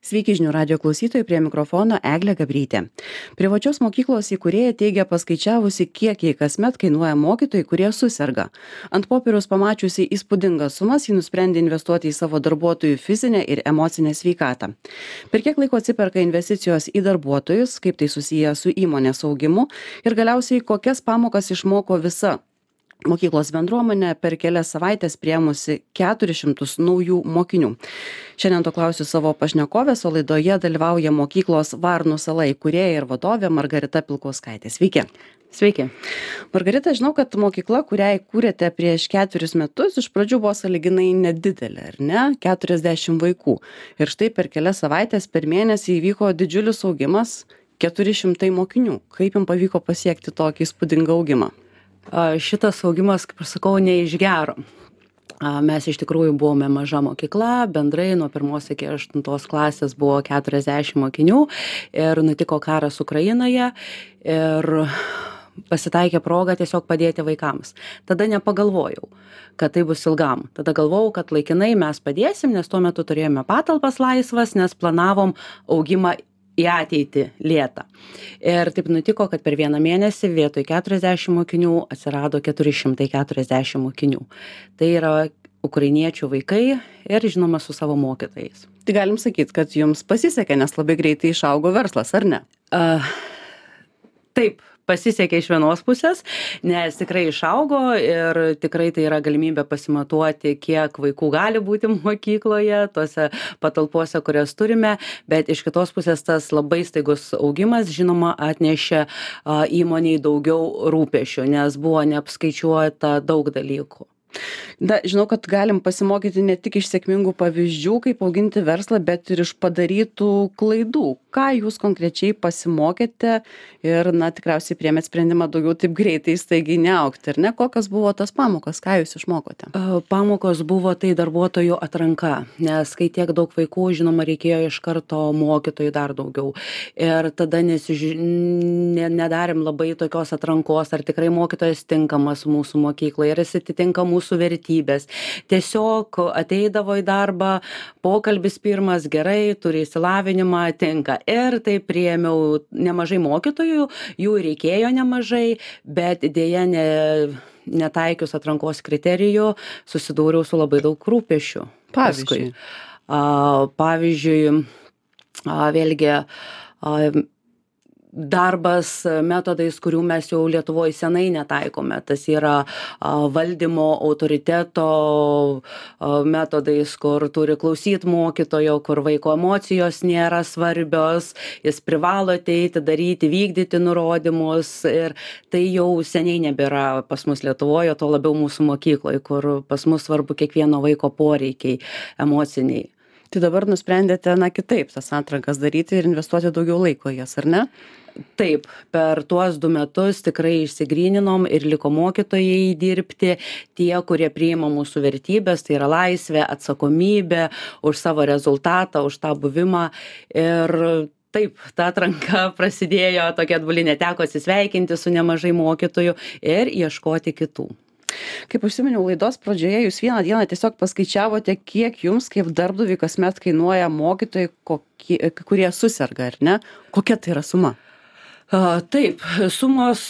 Sveiki žinių radijo klausytojai, prie mikrofono Eglė Gabrytė. Privačios mokyklos įkūrėja teigia paskaičiavusi, kiek jai kasmet kainuoja mokytojai, kurie suserga. Ant popieriaus pamačiusi įspūdingas sumas, ji nusprendė investuoti į savo darbuotojų fizinę ir emocinę sveikatą. Per kiek laiko atsiperka investicijos į darbuotojus, kaip tai susiję su įmonės augimu ir galiausiai kokias pamokas išmoko visa mokyklos bendruomenė per kelias savaites priėmusi 400 naujų mokinių. Šiandien to klausiu savo pašnekovės, o laidoje dalyvauja mokyklos Varnų sala įkūrėja ir vadovė Margarita Pilkauskaitė. Sveiki. Sveiki. Margarita, žinau, kad mokykla, kurią įkūrėte prieš 4 metus, iš pradžių buvo sąlyginai nedidelė, ar ne? 40 vaikų. Ir štai per kelias savaitės per mėnesį įvyko didžiulis augimas, 400 mokinių. Kaip jums pavyko pasiekti tokį įspūdingą augimą? Šitas augimas, kaip aš sakau, ne iš gero. Mes iš tikrųjų buvome maža mokykla, bendrai nuo 1 iki 8 klasės buvo 40 mokinių ir nutiko karas Ukrainoje ir pasitaikė proga tiesiog padėti vaikams. Tada nepagalvojau, kad tai bus ilgam. Tada galvojau, kad laikinai mes padėsim, nes tuo metu turėjome patalpas laisvas, nes planavom augimą į ateitį lėtą. Ir taip nutiko, kad per vieną mėnesį vietoj 40 mokinių atsirado 440 mokinių. Tai yra ukrainiečių vaikai ir žinoma su savo mokytojais. Tai galim sakyti, kad jums pasisekė, nes labai greitai išaugo verslas, ar ne? Taip. Pasisekė iš vienos pusės, nes tikrai išaugo ir tikrai tai yra galimybė pasimatuoti, kiek vaikų gali būti mokykloje, tose patalpose, kurias turime, bet iš kitos pusės tas labai staigus augimas, žinoma, atnešė įmoniai daugiau rūpesčių, nes buvo neapskaičiuota daug dalykų. Žinau, kad galim pasimokyti ne tik iš sėkmingų pavyzdžių, kaip auginti verslą, bet ir iš padarytų klaidų. Ką jūs konkrečiai pasimokėte ir, tikriausiai priėmėt sprendimą daugiau taip greitai staigiai neaugti, ar ne? Kokios buvo tas pamokas, ką jūs išmokote? Pamokos buvo tai darbuotojų atranka, nes kai tiek daug vaikų, žinoma, reikėjo iš karto mokytojų dar daugiau. Ir tada nedarėm labai tokios atrankos, ar tikrai mokytojas tinkamas mūsų mokyklai, ar jis atitinka mūsų vertybės. Tiesiog ateidavo į darbą, pokalbis pirmas, gerai, turi išsilavinimą, tinka. Ir tai priėmiau nemažai mokytojų, jų reikėjo nemažai, bet dėja netaikius atrankos kriterijų susidūriau su labai daug rūpesčių. Pavyzdžiui? Pavyzdžiui, vėlgi, darbas metodais, kurių mes jau Lietuvoje senai netaikome. Tas yra valdymo autoriteto metodais, kur turi klausyti mokytojo, kur vaiko emocijos nėra svarbios, jis privalo ateiti, daryti, vykdyti nurodymus. Ir tai jau seniai nebėra pas mus Lietuvoje, to labiau mūsų mokykloje, kur pas mus svarbu kiekvieno vaiko poreikiai emociniai. Tai dabar nusprendėte, kitaip tas atrankas daryti ir investuoti daugiau laiko jas, ar ne? Taip, per tuos 2 metus tikrai išsigryninom ir liko mokytojai dirbti, tie, kurie priima mūsų vertybės, tai yra laisvė, atsakomybė už savo rezultatą, už tą buvimą. Ir taip, ta atranka prasidėjo tokia atbulinė, teko atsisveikinti su nemažai mokytojų ir ieškoti kitų. Kaip užsiminiau laidos pradžioje, jūs vieną dieną tiesiog paskaičiavote, kiek jums kaip darbdaviui kasmet kainuoja mokytojai, kurie suserga, ar ne? Kokia tai yra suma? Taip, sumos,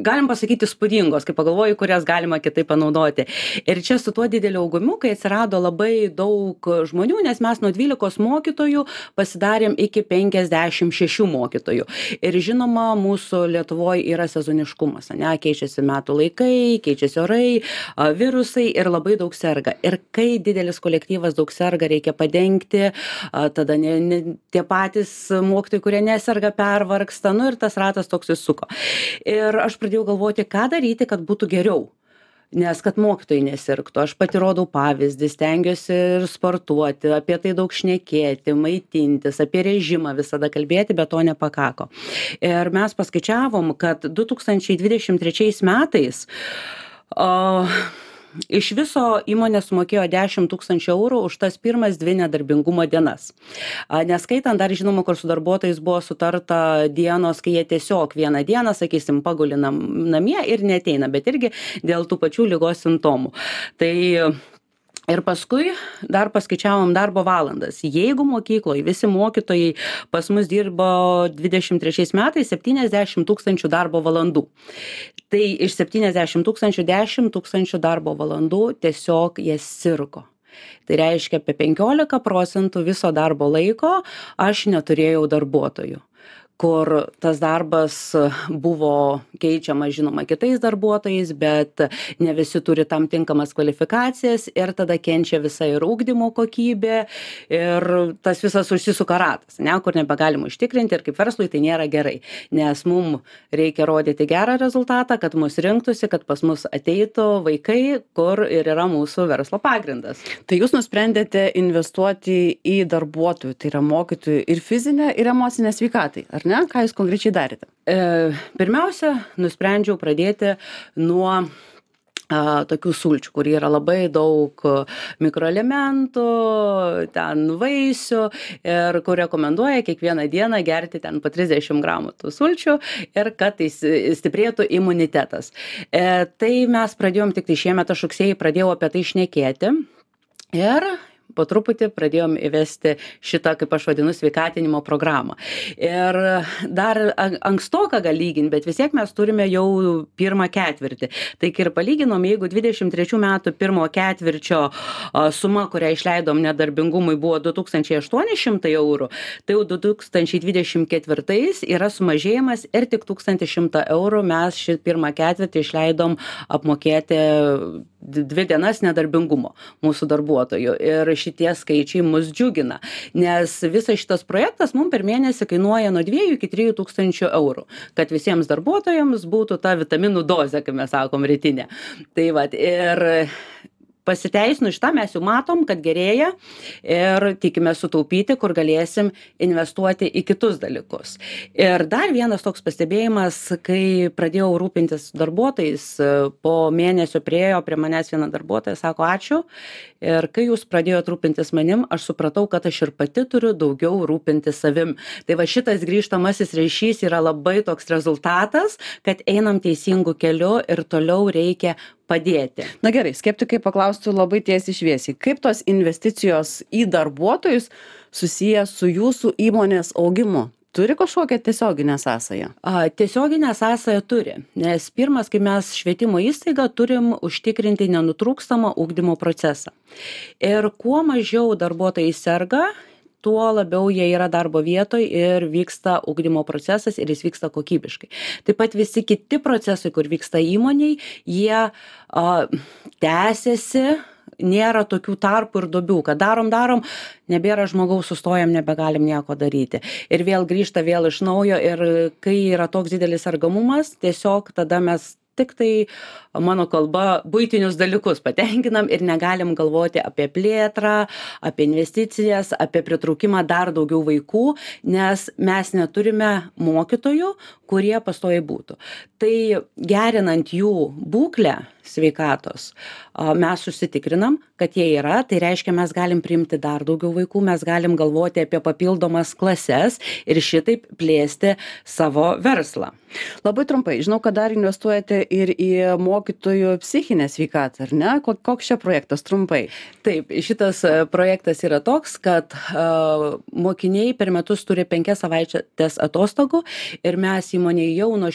galim pasakyti įspūdingos, kai pagalvoju, kurias galima kitaip panaudoti. Ir čia su tuo dideliu augimu, kai atsirado labai daug žmonių, nes mes nuo 12 mokytojų pasidarėm iki 56 mokytojų. Ir žinoma, mūsų Lietuvoje yra sezoniškumas, keičiasi metų laikai, keičiasi orai, virusai ir labai daug serga. Ir kai didelis kolektyvas daug serga, reikia padengti, tada tie patys mokytojai, kurie neserga, pervargsta, ir tas ratas toks įsuko. Ir aš pradėjau galvoti, ką daryti, kad būtų geriau. Nes kad mokytojai nesirgtų. Aš pati rodau pavyzdį, stengiuosi ir sportuoti, apie tai daug šnekėti, maitintis, apie režimą visada kalbėti, bet to nepakako. Ir mes paskaičiavom, kad 2023 metais iš viso įmonė sumokėjo 10 000 eurų už tas pirmas 2 nedarbingumo dienas. Neskaitant dar, žinoma, kur su darbuotojais buvo sutarta dienos, kai jie tiesiog vieną dieną, sakysim, paguli namie ir neateina, bet irgi dėl tų pačių ligos simptomų. Tai Ir paskui dar paskaičiavom darbo valandas. Jeigu mokykloje visi mokytojai pas mus dirbo 23 metais 70 tūkstančių darbo valandų. Tai iš 70 tūkstančių 10 tūkstančių darbo valandų tiesiog jie sirgo. Tai reiškia, apie 15% viso darbo laiko aš neturėjau darbuotojų, kur tas darbas buvo keičiamas, žinoma, kitais darbuotojais, bet ne visi turi tam tinkamas kvalifikacijas ir tada kenčia visa ir ugdymo kokybė ir tas visas užsisuka ratas, ne, kur nebegalim užtikrinti ir kaip verslui tai nėra gerai, nes mum reikia rodyti gerą rezultatą, kad mus rinktųsi, kad pas mus ateitų vaikai, kur ir yra mūsų verslo pagrindas. Tai jūs nusprendėte investuoti į darbuotojų, tai yra mokytojų ir fizinę, ir emocinę sveikatai, ar ne? Ką jūs konkrečiai darėte? Pirmiausia, nusprendžiau pradėti nuo tokių sulčių, kur yra labai daug mikroelementų, ten vaisių ir kur rekomenduoja kiekvieną dieną gerti ten po 30 gramų tų sulčių ir kad tai stiprėtų imunitetas. Tai mes pradėjom tik tai šiemet, aš rugsėjį pradėjau apie tai šnekėti ir po truputį pradėjom įvesti šitą, kaip aš vadinu, sveikatinimo programą. Ir dar ankstoka gal lygint, bet vis tiek mes turime jau pirmą ketvirtį. Tai ir palyginom, jeigu 23 metų pirmo ketvirčio suma, kurią išleidom nedarbingumui, buvo 2800 eurų, tai jau 2024 yra sumažėjimas ir tik 1100 eurų mes šį pirmą ketvirtį išleidom apmokėti 2 dienas nedarbingumo mūsų darbuotojų. Ir šitie skaičiai mus džiugina, nes visas šitas projektas mums per mėnesį kainuoja nuo 2 iki 3 tūkstančių eurų, kad visiems darbuotojams būtų ta vitaminų dozė, kaip mes sakom, rytinė. Tai vat, ir pasiteisinu šitą, mes jau matom, kad gerėja ir tikime sutaupyti, kur galėsim investuoti į kitus dalykus. Ir dar vienas toks pastebėjimas, kai pradėjau rūpintis darbuotojais, po mėnesio priėjo prie manęs viena darbuotoja, sako ačiū. Ir kai jūs pradėjote rūpintis manim, aš supratau, kad aš ir pati turiu daugiau rūpintis savim. Tai va šitas grįžtamasis ryšys yra labai toks rezultatas, kad einam teisingų keliu ir toliau reikia padėti. Na gerai, skeptikai paklaustų labai tiesiai šviesiai, kaip tos investicijos į darbuotojus susiję su jūsų įmonės augimu? Turi kažkokią tiesioginę sąsają? Tiesioginę sąsają turi, nes pirmas, kai mes švietimo įstaigą turim užtikrinti nenutrūkstamą ugdymo procesą. Ir kuo mažiau darbuotojai serga, tuo labiau jie yra darbo vietoj ir vyksta ugdymo procesas ir jis vyksta kokybiškai. Taip pat visi kiti procesai, kur vyksta įmoniai, jie tęsiasi, nėra tokių tarpų ir duobių, kad darom, nebėra žmogaus, sustojam, nebegalim nieko daryti. Ir vėl grįžta vėl iš naujo ir kai yra toks didelis sergamumas, tiesiog tada mes tik tai, mano kalba, buitinius dalykus patenkinam ir negalim galvoti apie plėtrą, apie investicijas, apie pritraukimą dar daugiau vaikų, nes mes neturime mokytojų, kurie pastoviai būtų. Tai gerinant jų būklę sveikatos, mes susitikrinam, kad jie yra, tai reiškia, mes galim priimti dar daugiau vaikų, mes galim galvoti apie papildomas klases ir šitaip plėsti savo verslą. Labai trumpai, žinau, kad dar investuojate ir į mokytojų psichinę sveikatą, ar ne? Koks čia projektas trumpai? Taip, šitas projektas yra toks, kad mokiniai per metus turi 5 savaitės atostogų ir mes įmonėje jau nuo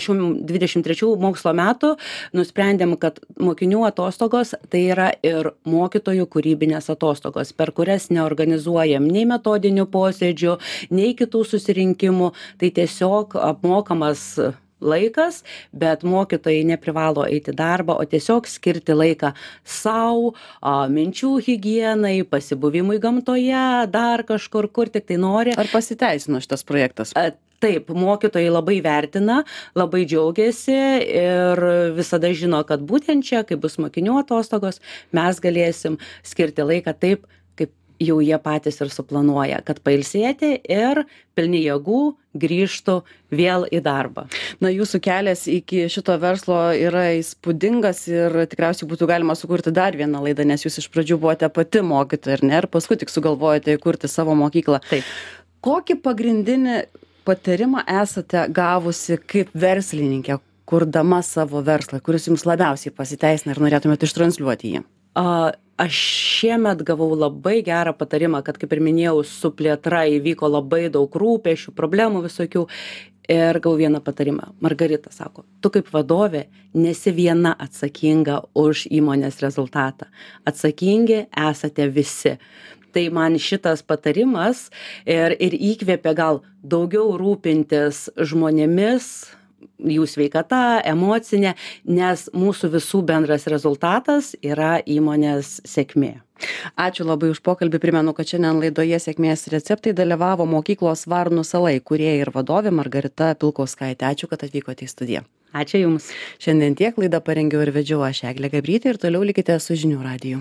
šių 23 mokslo metų nusprendėm, kad mokinių atostogos tai yra ir mokytojų kūrybinės atostogos, per kurias neorganizuojam nei metodinių posėdžių, nei kitų susirinkimų, tai tiesiog apmokamas laikas, bet mokytojai neprivalo eiti darbą, o tiesiog skirti laiką sau, minčių higienai, pasibuvimui gamtoje, dar kažkur, kur tik tai nori. Ar pasiteisino šitas projektas? Taip, mokytojai labai vertina, labai džiaugiasi ir visada žino, kad būtent čia, kai bus mokinių atostogos, mes galėsim skirti laiką taip, kaip jau jie patys ir suplanuoja, kad pailsėti ir pilni jėgų grįžtų vėl į darbą. Na, jūsų kelias iki šito verslo yra įspūdingas ir tikriausiai būtų galima sukurti dar vieną laidą, nes jūs iš pradžių buvote pati mokytoja, ar ne, ir paskui tik sugalvojate įkurti savo mokyklą. Taip. Kokį pagrindinį patarimą esate gavusi kaip verslininkė, kurdama savo verslą, kuris jums labiausiai pasiteisina ir norėtumėte ištransliuoti jį? Aš šiemet gavau labai gerą patarimą, kad, kaip ir minėjau, su plėtra įvyko labai daug rūpesčių, problemų visokių. Ir gavau vieną patarimą. Margarita sako, tu kaip vadovė nesi viena atsakinga už įmonės rezultatą. Atsakingi esate visi. Tai man šitas patarimas ir įkvėpė gal daugiau rūpintis žmonėmis, jų sveikata, emocinė, nes mūsų visų bendras rezultatas yra įmonės sėkmė. Ačiū labai už pokalbį. Primenu, kad šiandien laidoje Sėkmės receptai dalyvavo mokyklos Varnų sala įkūrėja ir vadovė Margarita Pilkauskaitė. Ačiū, kad atvykote į studiją. Ačiū Jums. Šiandien tiek, laidą parengiau ir vedžiau aš, Eglė Gabrytė, ir toliau likite su žinių radiju.